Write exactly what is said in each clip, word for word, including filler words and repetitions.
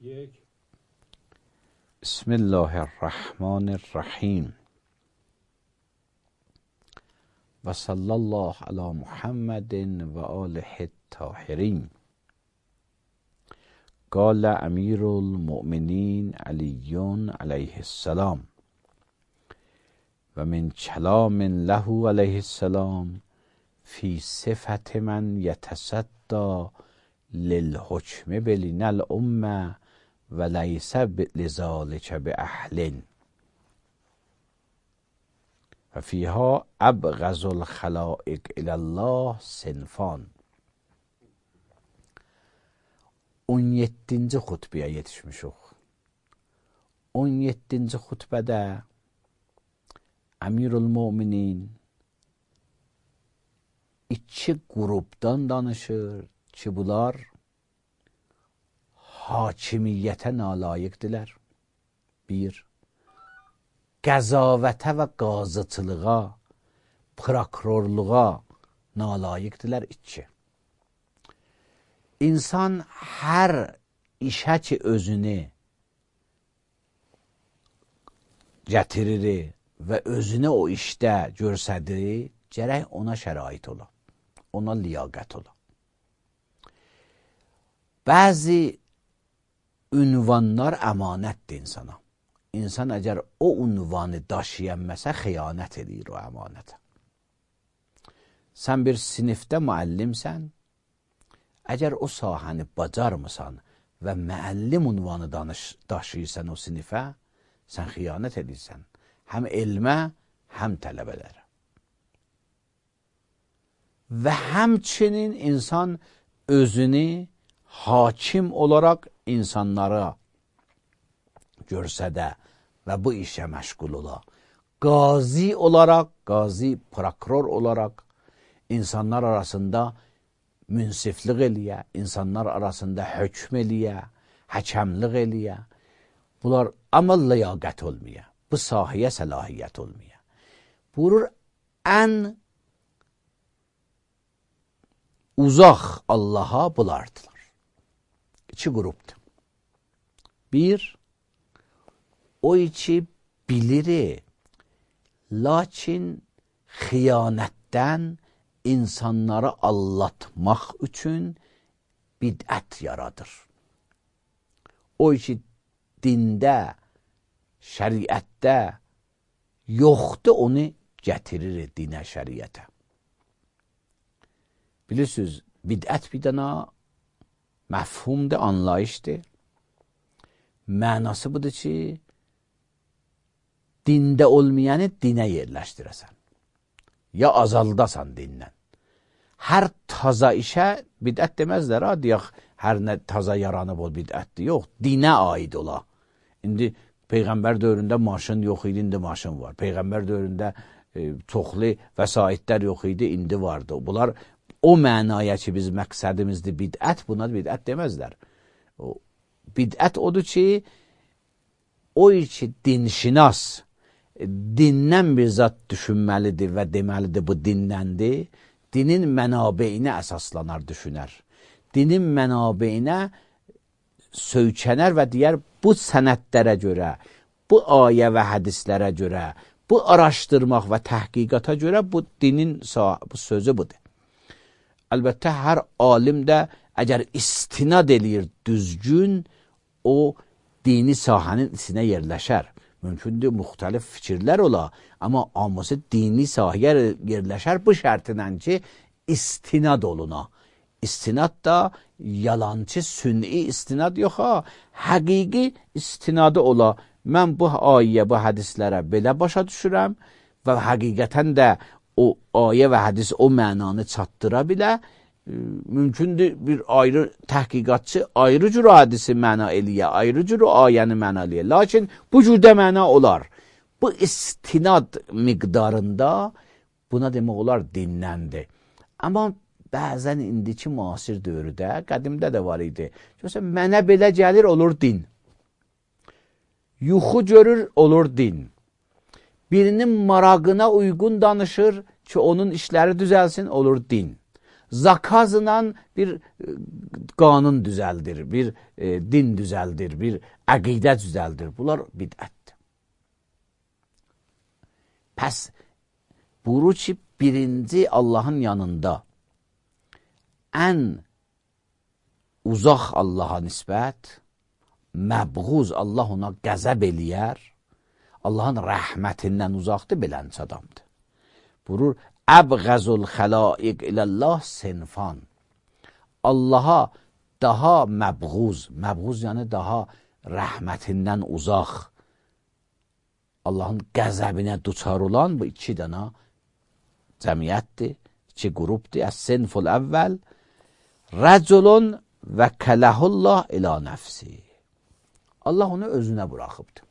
یک. بسم الله الرحمن الرحیم و صلی الله علی محمد و آله الطاهرین. قال امیر المؤمنین علی علیه السلام و من کلام له علیه السلام فی صفت من یتصدی للحکم بین الامه و لیس لذالک باهل و فیها ابغض الخلائق الی الله صنفان. on yeddinci xutbəyə yetişmişik. on yeddinci xutbədə Əmirül Möminin iki qrupdan danışır ki, bunlar hakimiyyətə nalayiqdirlər. Bir, qəzavətə və qazıçılığa, prokurorluğa nalayiqdirlər. İki, İnsan hər işə ki özünü gətirir və özünü o işdə görsədir, gərək ona şərait ola, ona liyaqət ola. Bəzi ünvanlar əmanətdir insana. İnsan əgər o ünvanı daşıyanməsə, xiyanət edir o əmanətə. Sən bir sinifdə müəllimsən, əgər o sahəni bacarmısan və müəllim ünvanı daşıyırsan o sinifə, sən xiyanət edirsən. Həm elmə, həm tələbələrə. Və həmçinin insan özünü hakim olaraq insanlara görsədə və bu işə məşğul ola. Qazi olaraq, qazi, prokuror olaraq insanlar arasında münsiflik eləyə, insanlar arasında hökm eləyə, həkəmlik eləyə. Bunlar amma liyaqət olmaya, bu sahəyə səlahiyyət olmaya. Buyurur, ən uzaq Allaha bulardılar. İki qrupdur. Bir, o iki bilir, lakin xiyanətdən insanları allatmaq üçün bidət yaradır. O iki dində, şəriətdə yoxdur, onu gətirir dinə, şəriətə. Bilirsiniz, bidət bir dana məfhumdur, anlayışdır. Mənası budur ki, dində olmayanı dinə yerləşdirəsən. Ya azaldasan dindən. Hər taza işə bidət deməzlər, ha, deyək, hər nə taza yaranıb ol bidətdir. Yox, dinə aid ola. İndi Peyğəmbər dövründə maşın yox idi, indi maşın var. Peyğəmbər dövründə e, çoxlu vəsaitlər yox idi, indi vardı. Bunlar o mənaya ki, biz məqsədimizdir bidət, buna bidət deməzlər. O, bidət odur ki, o ki, dinşinas, dindən bir zat düşünməlidir və deməlidir bu dindəndir. Dinin mənabeyinə əsaslanar, düşünər. Dinin mənabeyinə söykənər və deyər, bu sənədlərə görə, bu ayə və hədislərə görə, bu araşdırmaq və təhqiqata görə bu dinin bu sözü budur. Əlbəttə, hər alim də əgər istinad eləyir düzgün, o dini sahənin içinə yerləşər. Mümkündür, müxtəlif fikirlər ola, amma hamısı dini sahəyə yerləşər bu şərtinlə ki, istinad oluna. İstinad da yalancı, sünni istinad yox, ha, həqiqi istinadı ola. Mən bu ayə, bu hədislərə belə başa düşürəm və həqiqətən də o ayə və hədis o mənanı çatdıra bilə. Mümkündür, bir ayrı təhqiqatçı ayrı cür hadisi məna eləyə, ayrı cür ayəni məna eləyə. Lakin bu cürdə məna olar. Bu istinad miqdarında buna demək olar dinləndir. Amma bəzən indiki müasir dövrdə, qədimdə də var idi. Məsələn, mənə belə gəlir, olur din. Yuxu görür, olur din. Birinin marağına uyğun danışır ki, onun işləri düzəlsin, olur din. zakazla bir qanun düzəldir, bir e, din düzəldir, bir əqidə düzəldir. Bunlar bidətdir. Pəs buyurur ki, birinci Allahın yanında ən uzaq Allaha nisbət, məbğuz, Allah ona qəzəb eləyər, Allahın rəhmətindən uzaqdır, belənç adamdır. Buyurur, əbğəzul xəlaiq iləllah sinfan. Allaha daha məbğuz, məbğuz yəni daha rəhmətindən uzaq, Allahın qəzəbinə duçar olan bu iki dənə cəmiyyətdir, iki qrupdur. Əs-sinful əvvəl, rəculun və kələhullah ilə nəfsi. Allah onu özünə buraxıbdır.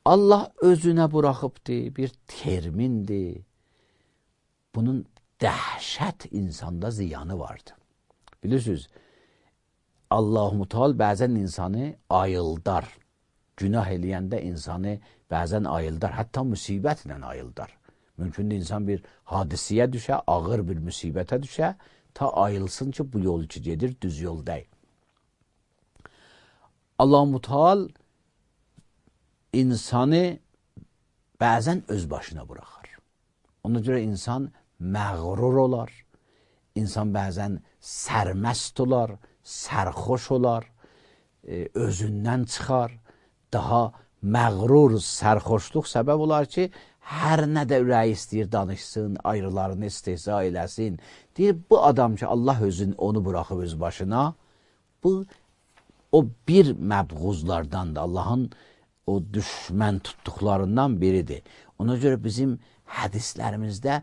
Allah özünə buraxıbdır, bir termindir. Bunun dəhşət insanda ziyanı vardır. Bilirsiniz, Allah-u Teala bəzən insanı ayıldar. Günah eləyəndə insanı bəzən ayıldar, hətta müsibətlə ayıldar. Mümkündür insan bir hadisiyə düşə, ağır bir müsibətə düşə, ta ayılsın ki, bu yol ki gedir, düz yol deyil. Allah-u Teala insanı bəzən öz başına buraxar. Ona görə insan məğrur olar, insan bəzən sərməst olar, sərxoş olar, özündən çıxar, daha məğrur, sərxoşluq səbəb olar ki, hər nə də ürəyi istəyir danışsın, ayrılarını istehza eləsin. Deyir, bu adam ki, Allah özün onu buraxıb öz başına, bu o bir məbğuzlardandır, Allahın o düşmən tutduqlarından biridir. Ona görə bizim hədislərimizdə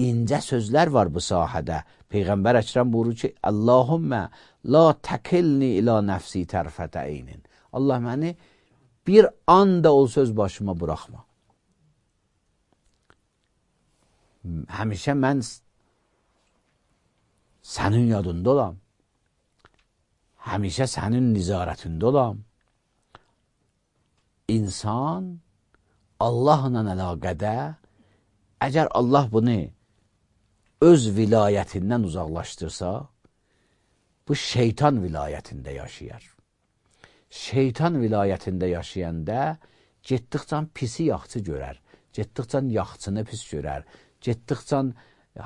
incə sözlər var bu sahədə. Peyğəmbər Əkrəm buyurur ki, Allahümmə la təkilni ilə nəfsi tərfətə eynin. Allah məni bir anda olsa öz başıma buraxma. Həmişə mən sənin yadında olam. Həmişə sənin nizarətində olam. İnsan Allahla əlaqədə, əgər Allah bunu öz vilayətindən uzaqlaşdırsa, bu şeytan vilayətində yaşayar. Şeytan vilayətində yaşayanda getdikcə pisi yaxçı görər, getdikcə yaxçını pis görər, getdikcə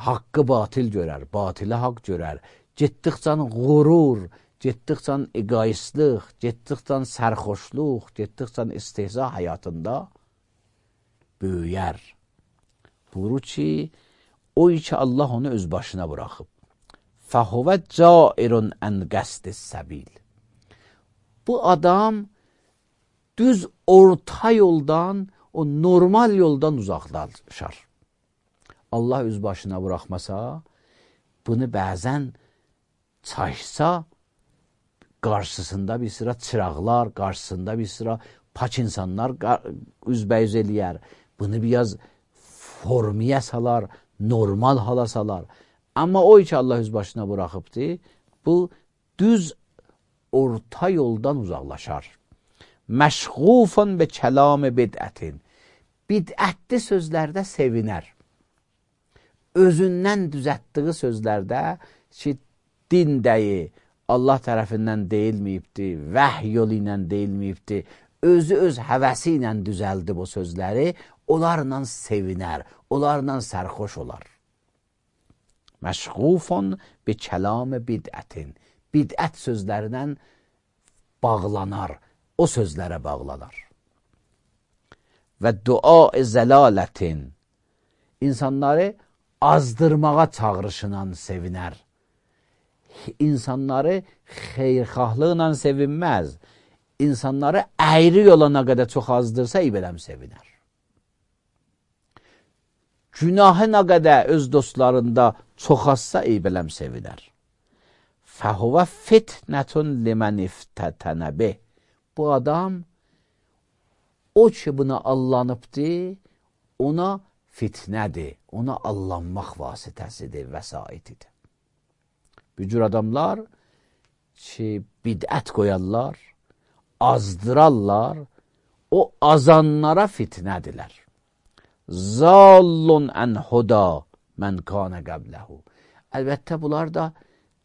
haqqı batil görər, batilə haqq görər, getdikcə qurur, getdikcə egoistlıq, getdikcə sərxoşluq, getdikcə istehza həyatında böyüyər. Buyurur ki, o ki Allah onu öz başına buraxıb. Fəhuvə cairun ən qəsdis səbil. Bu adam düz orta yoldan, o normal yoldan uzaqlaşar. Allah öz başına buraxmasa, bunu bəzən çaşsa, qarşısında bir sıra çıraqlar, qarşısında bir sıra pak insanlar üzbəyüz eləyər. Bunu biraz formiyə salar, normal hala salar. Amma o ki Allah öz başına buraxıbdır, bu düz orta yoldan uzaqlaşar. Məşğufun be kəlam-ı bidətin. Bidətli sözlərdə sevinər. Özündən düzətdiği sözlərdə ki, din dəyi Allah tərəfindən deyilməyibdir, vəhy yolu ilə deyilməyibdir, özü öz həvəsi ilə düzəldi bu sözləri, onlarla sevinər, onlarla sərxoş olar. Məşğufun bi kəlam-ı bidətin. Bidət sözlərindən bağlanar, o sözlərə bağlanar. Və dua-i zəlalətin. İnsanları azdırmağa çağrışınan sevinər. İnsanları xeyrxahlıqla sevinməz. İnsanları əyri yola nə qədər çox azdırsa, ibələm sevinər. Günahı nə qədər öz dostlarında çox azsa, ibələm sevinər. Fəhuvə fitnətun limən iftətənəbi. Bu adam, o ki buna allanıbdır, ona fitnədir, ona allanmaq vasitəsidir, vəsaitidir. Bu cür adamlar ki, bidət qoyarlar, azdırarlar, o azanlara fitnədilər. Zallun ən huda mən kana qəbləhu. Əlbəttə bunlar da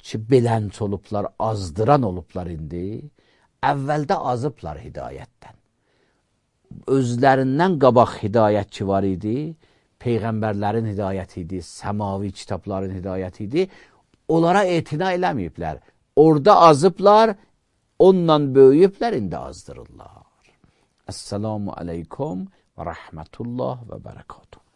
ki, belənç olublar, azdıran olublar indi. Əvvəldə azıblar hidayətdən. Özlərindən qabaq hidayət ki var idi, Peyğəmbərlərin hidayəti idi, səmavi kitabların hidayəti idi. Onlara etina eləməyiblər. Orada azıblar, onunla böyüyüblər, indi azdırırlar. Əssalamu aleykum və rəhmətullah və bərəkatuhu.